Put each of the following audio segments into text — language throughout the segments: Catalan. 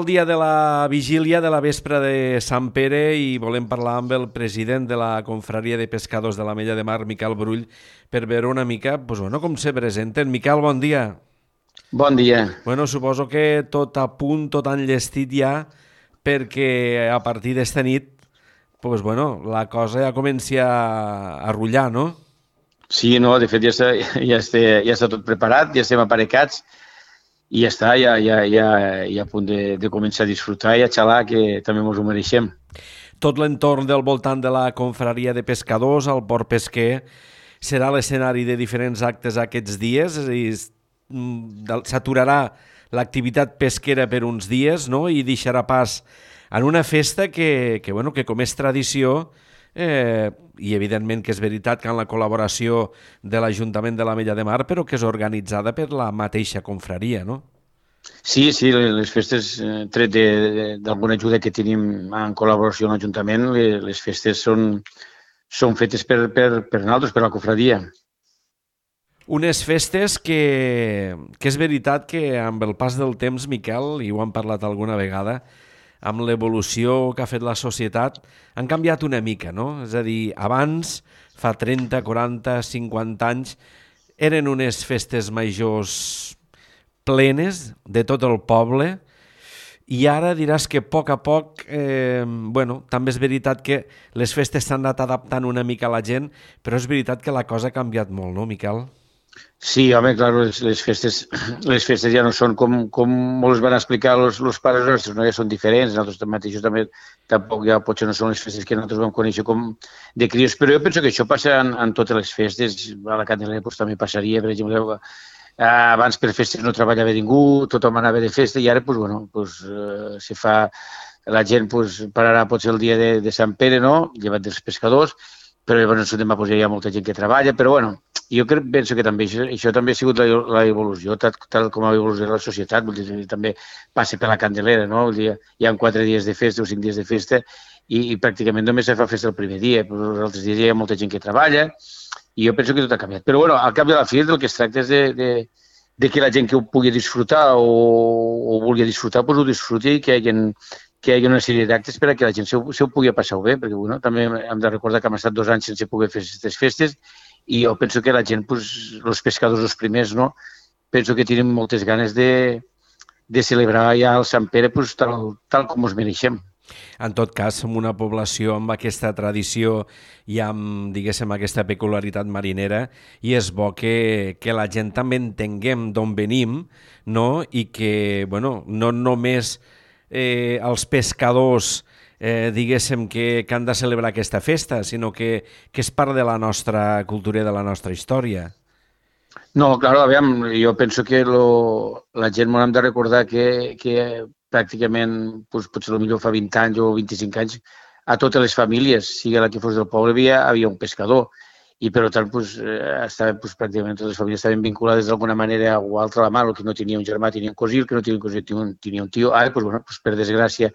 El dia de la vigília de la vespra de Sant Pere i volem parlar amb el president de la Confraria de Pescadors de l'Ametlla de Mar, Miquel Brull, per veure una mica com se presenten. Miquel, bon dia. Bon dia. Suposo que tot a punt, tot enllestit ja, perquè a partir d'esta nit la cosa ja comença a rullar, no? Sí, no, de fet ja està tot preparat, ja estem aparecats i ja està, ja a punt de començar a disfrutar i a xalar, que també ens ho mereixem. Tot l'entorn del voltant de la Confraria de Pescadors, el port pesquer, serà l'escenari de diferents actes aquests dies, és a dir, s'aturarà l'activitat pesquera per uns dies, no?, i deixarà pas en una festa que com és tradició, i evidentment que és veritat que en la col·laboració de l'Ajuntament de l'Ametlla de Mar, però que és organitzada per la mateixa confraria, no? Sí, les festes, tret d'alguna ajuda que tenim en col·laboració amb l'Ajuntament, les festes són fetes per nosaltres, per la confraria. Unes festes que és veritat que amb el pas del temps, Miquel, i ho hem parlat alguna vegada, amb l'evolució que ha fet la societat, han canviat una mica, no? És a dir, abans, fa 30, 40, 50 anys, eren unes festes majors plenes de tot el poble, i ara diràs que a poc, també és veritat que les festes s'han anat adaptant una mica a la gent, però és veritat que la cosa ha canviat molt, no, Miquel? Sí, home, clar, les festes ja no són com ens van explicar els pares nostres, no? Ja són diferents, nosaltres mateixos també tampoc ja potser no són les festes que nosaltres vam conèixer com de crios, però jo penso que això passa en totes les festes, a la Candelera també passaria, per exemple, abans per festes no treballava ningú, tothom anava de festa i ara se fa, la gent pararà potser el dia de Sant Pere, no?, llevat dels pescadors, però llavors demà hi ha molta gent que treballa, però jo penso que també això també ha sigut l'evolució, tal com ha evolucionat la societat, vull dir, també passa per la Candelera, no? Vull dir, hi ha 4 dies de festa o 5 dies de festa i pràcticament només se fa festa el primer dia, però els altres dies hi ha molta gent que treballa i jo penso que tot ha canviat. Però al cap de la fi el que es tracta és de que la gent que ho pugui disfrutar o vulgui disfrutar, ho disfruti i que hi hagi una sèrie d'actes per a que la gent se ho pugui passar bé, perquè també hem de recordar que hem estat 2 anys sense poder fer aquestes festes i jo penso que la gent, els pescadors els primers, no, penso que tenen moltes ganes de celebrar ja el Sant Pere tal com ens mereixem. En tot cas, som una població amb aquesta tradició i amb, diguéssim, aquesta peculiaritat marinera i és bo que la gent també entenguem d'on venim, no? I que, no només els pescadors diguéssim que han de celebrar aquesta festa, sinó que és part de la nostra cultura i de la nostra història. No, clar, aviam, jo penso que la gent m'ho hem de recordar que pràcticament, potser millor fa 20 anys o 25 anys, a totes les famílies, sigui la que fos del poble, havia un pescador i per tant pràcticament totes les famílies estaven vinculades d'alguna manera o altra a la mà, el que no tenia un germà tenia un cosí, el que no tenia un cosí tenia un tio. Ara, per desgràcia,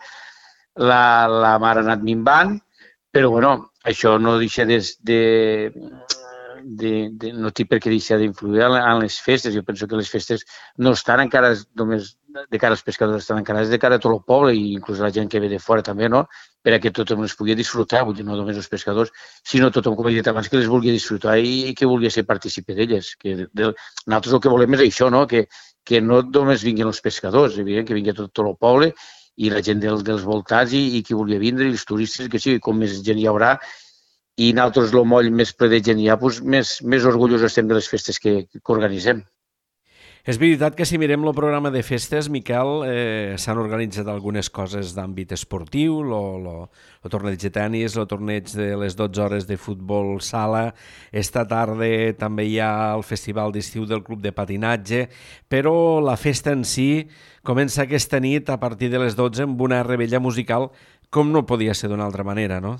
la mar ha anat minvant, però això no deixa no té per què deixar d'influir en les festes. Jo penso que les festes no estan encara només de cara als pescadors, estan encarades de cara a tot el poble i inclús la gent que ve de fora també, no?, per a que tothom es pugui disfrutar, vull dir, no només els pescadors, sinó tothom, com he dit abans, que les vulgui disfrutar i que vulgui ser partícipe d'elles. Nosaltres el que volem és això, no?, que no només vinguin els pescadors, evident, que vingui tot el poble i la gent dels voltants i qui vulgui vindre, i els turistes, que sí, com més gent hi haurà, i nosaltres el moll més ple de gent hi ha, més orgullosos estem de les festes que organitzem. És veritat que si mirem el programa de festes, Miquel, s'han organitzat algunes coses d'àmbit esportiu, el torneig de tennis, el torneig de les 12 hores de futbol sala, esta tarda també hi ha el festival d'estiu del club de patinatge, però la festa en si comença aquesta nit a partir de les 12 amb una rebella musical, com no podia ser d'una altra manera, no?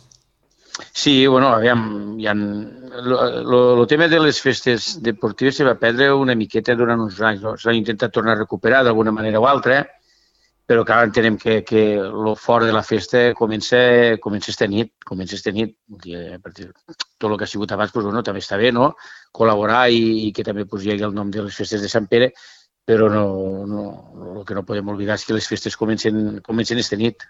Sí, aviam, el tema de les festes deportives se va perdre una miqueta durant uns anys, no? S'ha intentat tornar a recuperar d'alguna manera o altra, però clar, entenem que el fort de la festa comença esta nit. A partir de tot el que ha sigut abans, també està bé, no?, col·laborar i que també hi hagi el nom de les festes de Sant Pere, però el que no podem oblidar és que les festes comencen esta nit.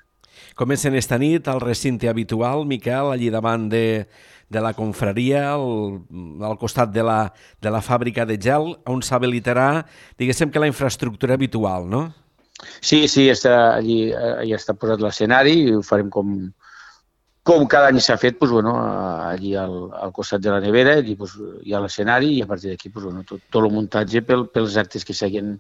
Comencen esta nit al recinte habitual, Miquel, allí davant de la confraria, al costat de la fàbrica de gel, on s'habilitarà, diguéssim que la infraestructura habitual, no? Sí, allí ja està posat l'escenari i ho farem com cada any s'ha fet, doncs, bueno, allí al costat de la nevera, allí doncs, hi ha l'escenari i a partir d'aquí doncs, bueno, tot el muntatge pels actes que s'hagin,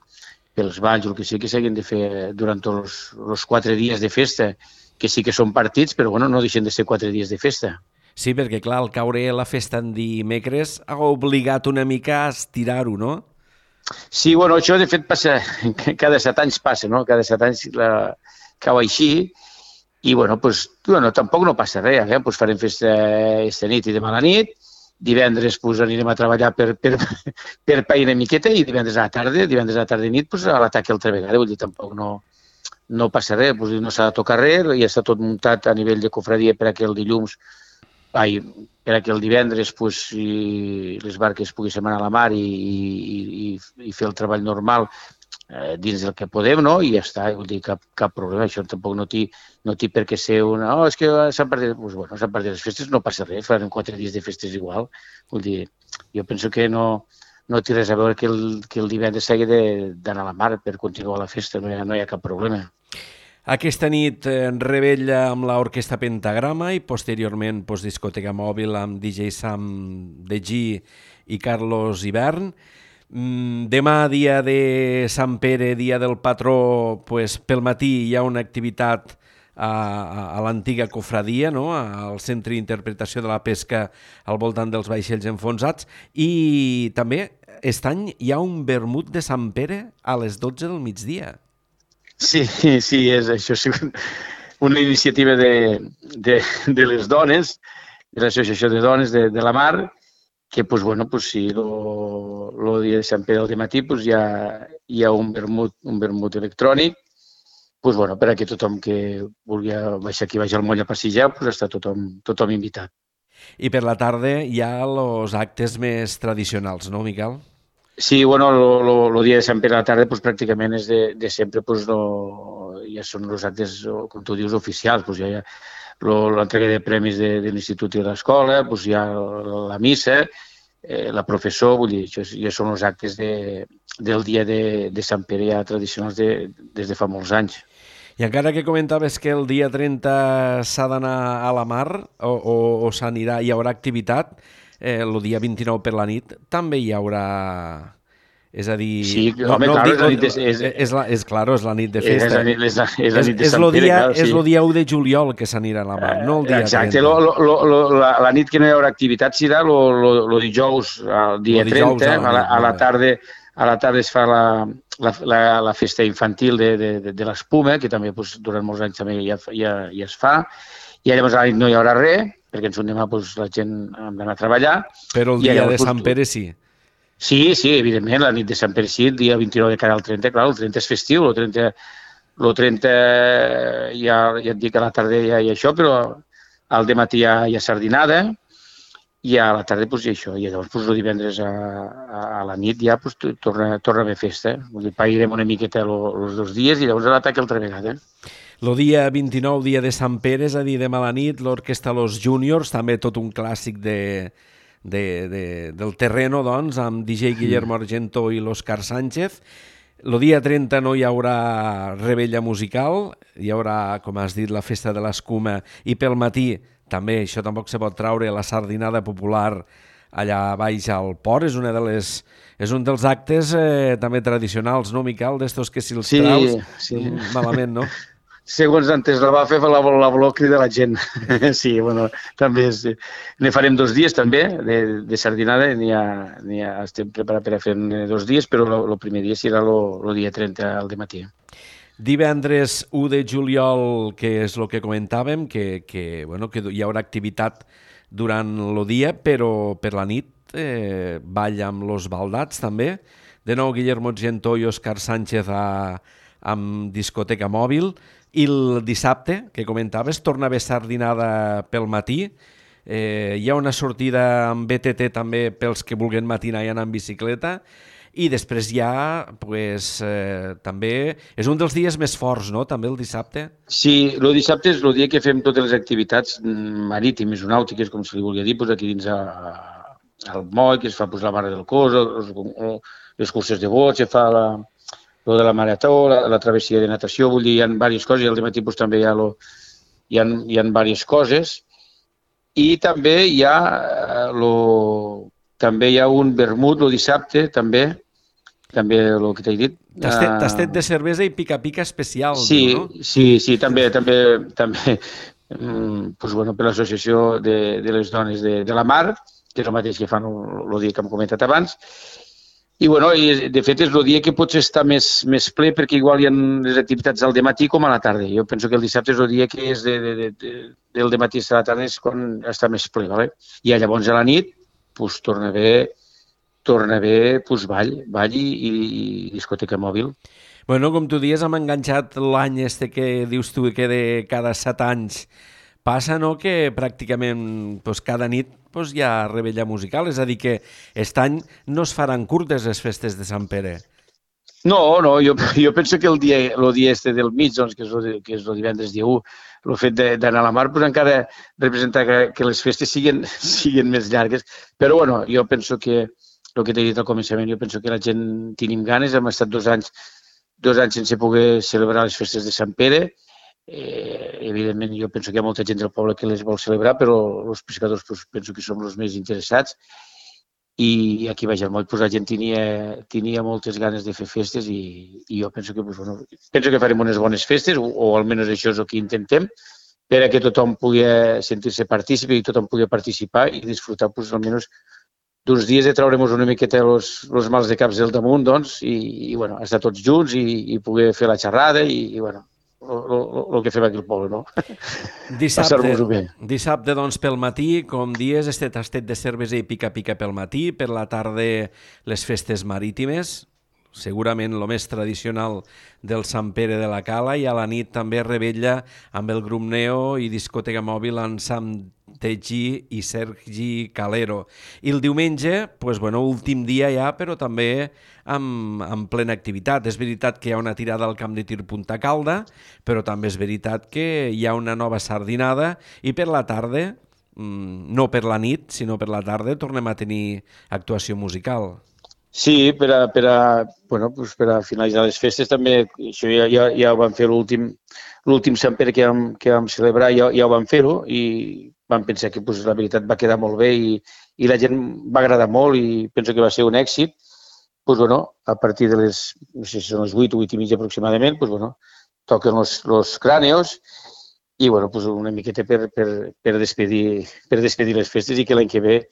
pels balls o el que sigui que s'hagin de fer durant tots els 4 dies de festa, que sí que són partits, però bueno, no deixen de ser 4 dies de festa. Sí, perquè clar, al caure la festa en dimecres ha obligat una mica a estirar-ho, no? Sí, bueno, això de fet passa, cada 7 anys passa, no? Cada 7 anys cau així i bueno, tampoc no passa res, pues farem festa esta nit i demà a la nit, divendres pues, anirem a treballar per pair una miqueta i divendres a la tarda i nit pues, a l'atac altra vegada, vull dir, tampoc no passa res, pues, no s'ha de tocar res, ja està tot muntat a nivell de cofradia per a que el dilluns, per a que el divendres pues, les barques poguessin anar a la mar i fer el treball normal dins del que podem, no? I ja està, vull dir, cap problema, això tampoc no té per què ser una... Oh, és que s'han perdut... Pues, bueno, s'han perdut les festes, no passa res, faran 4 dies de festes igual, vull dir, jo penso que no té res a veure que el divendres s'hagi d'anar a la mar per continuar la festa, no hi ha cap problema. Aquesta nit rebella amb l'orquestra Pentagrama i posteriorment discoteca mòbil amb DJ Sam de G i Carlos Hivern. Demà, dia de Sant Pere, dia del patró, pel matí hi ha una activitat a l'antiga cofradia, no? Al centre d'interpretació de la pesca al voltant dels vaixells enfonsats, i també aquest any hi ha un vermut de Sant Pere a les 12 del migdia. Sí, això sí, una iniciativa de les dones, de l'Associació de Dones de la Mar, que, pues, bueno, pues, sí, el dia de Sant Pere al matí pues, hi ha un vermut electrònic, pues, bueno, per a que tothom que vulgui baixar aquí baix al moll a passejar, pues, està tothom invitat. I per la tarda hi ha els actes més tradicionals, no, Miquel? Sí, bueno, el dia de Sant Pere a la tarda pues, pràcticament és de sempre, pues, ja són els actes, com tu dius, oficials. Pues, hi ha l'entrega de premis de l'institut i de l'escola, pues, hi ha la missa, la professor, vull dir, això ja són els actes del dia de Sant Pere ja tradicionals des de fa molts anys. I encara que comentaves que el dia 30 s'ha d'anar a la mar o hi haurà activitat, el dia 29 per la nit també hi haurà... És a dir... Sí, home, clar, és la nit de... És la nit de festa. És la nit de Sant Pere, clar. És el dia 1 de juliol que s'anirà a la mar, no el dia 30. Exacte, la nit que no hi haurà activitat serà el dijous, el dia 30, a la tarda es fa la festa infantil de l'espuma, que també durant molts anys també ja es fa, i llavors a la nit no hi haurà res, perquè ens demà la gent hem d'anar a treballar. Però el dia de Sant Pere sí. Sí, evidentment, la nit de Sant Pere sí, el dia 29 de cara al 30, clar, el 30 és festiu, el 30 ja et dic a la tarda ja hi ha això, però al dematí hi ha sardinada, i a la tarda hi ha això, i llavors el divendres a la nit ja torna a haver festa. Pairem una miqueta els 2 dies i llavors l'atac altra vegada. El dia 29, dia de Sant Pere, és a dir, demà a la nit, l'Orquestra Los Juniors, també tot un clàssic del terreno, doncs, amb DJ Guillermo Argento i l'Òscar Sánchez. El dia 30 no hi haurà rebella musical, hi haurà, com has dit, la festa de l'escuma, i pel matí, també, això tampoc se pot traure, la sardinada popular allà baix al port, és un dels actes també tradicionals, no, Miquel? D'estos que si els traus, malament, no? Segons antes la va fer la volor cridar la gent. Sí, bueno, també ne farem 2 dies també de sardinada, estem preparats per a fer 2 dies, però el primer dia serà el dia 30 al dematí. Divendres 1 de juliol, que és el que comentàvem, que hi haurà activitat durant el dia, però per la nit ball amb los baldats també. De nou Guillermo Argento i Òscar Sánchez amb discoteca mòbil. I el dissabte, que comentaves, torna a haver sardinada pel matí. Hi ha una sortida amb BTT també pels que vulguin matinar i anar en bicicleta. i després ja, pues, també és un dels dies més forts, no?, també el dissabte. Sí, el dissabte és el dia que fem totes les activitats marítimes o nàutiques, com se li volia dir, pues aquí dins al moll, que es fa pues, la mare del cos, les curses de bots, se fa lo de la marató, la travessia de natació, vull dir, hi ha diverses coses, i al matí pues, també hi ha diverses coses, i també hi ha un vermut el dissabte, també el que t'he dit. Tastet de cervesa i pica-pica especial, sí, diu, no? Sí, també pues, bueno, per l'associació de les dones de la mar, que és el mateix que fan el dia que hem comentat abans. I, bueno, de fet, és el dia que potser està més ple perquè igual hi ha les activitats al dematí com a la tarda. Jo penso que el dissabte és el dia que és del dematí a la tarda és quan està més ple, ¿vale? I llavors a la nit pues, torna a haver pues, ball i discoteca mòbil. Bueno, com tu dius, hem enganxat l'any que dius tu que de cada 7 anys passa, no?, que pràcticament pues, cada nit pues, hi ha rebella musical, és a dir, que aquest any no es faran curtes les festes de Sant Pere. No, jo penso que el dia del mig, doncs, que és el divendres dia 1, el fet d'anar a la mar, pues, encara representa que les festes siguin més llargues. Però, bueno, jo penso que el que t'he dit al començament, jo penso que la gent tenim ganes, hem estat 2 anys sense poder celebrar les festes de Sant Pere. Evidentment, jo penso que hi ha molta gent del poble que les vol celebrar, però els pescadors pues, penso que som els més interessats. I aquí baix al moll pues, la gent tenia moltes ganes de fer festes i jo penso que, pues, bueno, penso que farem unes bones festes, o almenys això és el que intentem, per a que tothom pugui sentir-se partícipe i tothom pugui participar i disfrutar pues, almenys d'uns dies de treure'ns una miqueta els mals de caps del damunt, doncs, i bueno, estar tots junts i poder fer la xerrada i bueno, el que fem aquí al poble, no? Passar-nos-ho bé. Dissabte, doncs, pel matí, com dies, tastet de cervesa i pica-pica pel matí, per la tarda les festes marítimes, segurament el més tradicional del Sant Pere de la Cala, i a la nit també rebella amb el grup Neo i discoteca mòbil amb Sam Tegui i Sergi Calero. I el diumenge, pues, bueno, últim dia ja, però també amb plena activitat. És veritat que hi ha una tirada al camp de tir Punta Calda, però també és veritat que hi ha una nova sardinada i per la tarda, no per la nit, sinó per la tarda, tornem a tenir actuació musical. Sí, per a finalitzar les festes també, això ja ho vam fer l'últim Sant Pere que vam celebrar, ja ho vam fer-ho i vam pensar que la veritat va quedar molt bé i la gent va agradar molt i penso que va ser un èxit. A partir de les, no sé si són les 8 o 8 i mitja aproximadament, toquen los cràneos i una miqueta per despedir les festes i que l'any que ve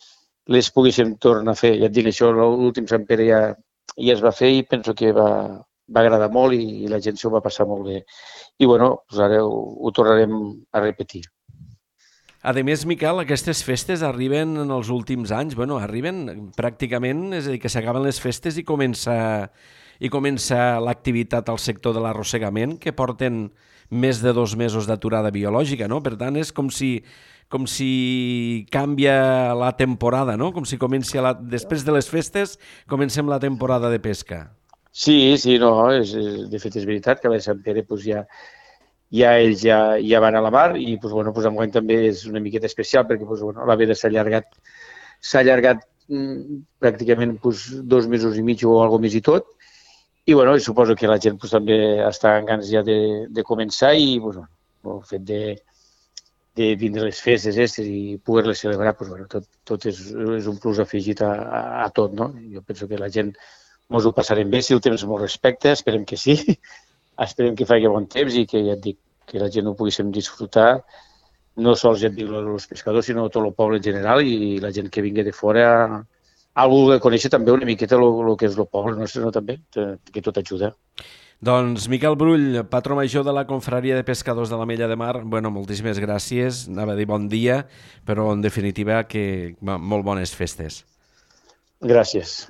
les poguéssim tornar a fer. Ja et dic, això l'últim Sant Pere ja es va fer i penso que va agradar molt i la gent s'ho va passar molt bé. I ara ho tornarem a repetir. A més, Miquel, aquestes festes arriben en els últims anys, arriben pràcticament, és a dir, que s'acaben les festes i comença l'activitat al sector de l'arrossegament, que porten més de 2 mesos d'aturada biològica, no? Per tant, és com si canvia la temporada, no? Com si després de les festes comencem la temporada de pesca. Sí, no, de fet és veritat que a Sant Pere ells ja van a la mar i enguany també és una miqueta especial perquè la veda s'ha allargat pràcticament 2 mesos i mig o alguna més i tot i suposo que la gent també està amb ganes ja de començar i el fet de vindre les festes i poder-les celebrar tot és un plus afegit a tot, no? Jo penso que la gent ens ho passarem bé si el temps molt respecte, esperem que sí. Esperem que faci bon temps i que, ja et dic, que la gent ho poguéssim disfrutar, no sols, ja et dic, els pescadors, sinó tot el poble en general i la gent que vingui de fora a voler conèixer també una miqueta el que és el poble nostre, no, també, que tot ajuda. Doncs Miquel Brull, patró major de la Confraria de Pescadors de l'Ametlla de Mar, moltíssimes gràcies, anava a dir bon dia, però en definitiva que molt bones festes. Gràcies.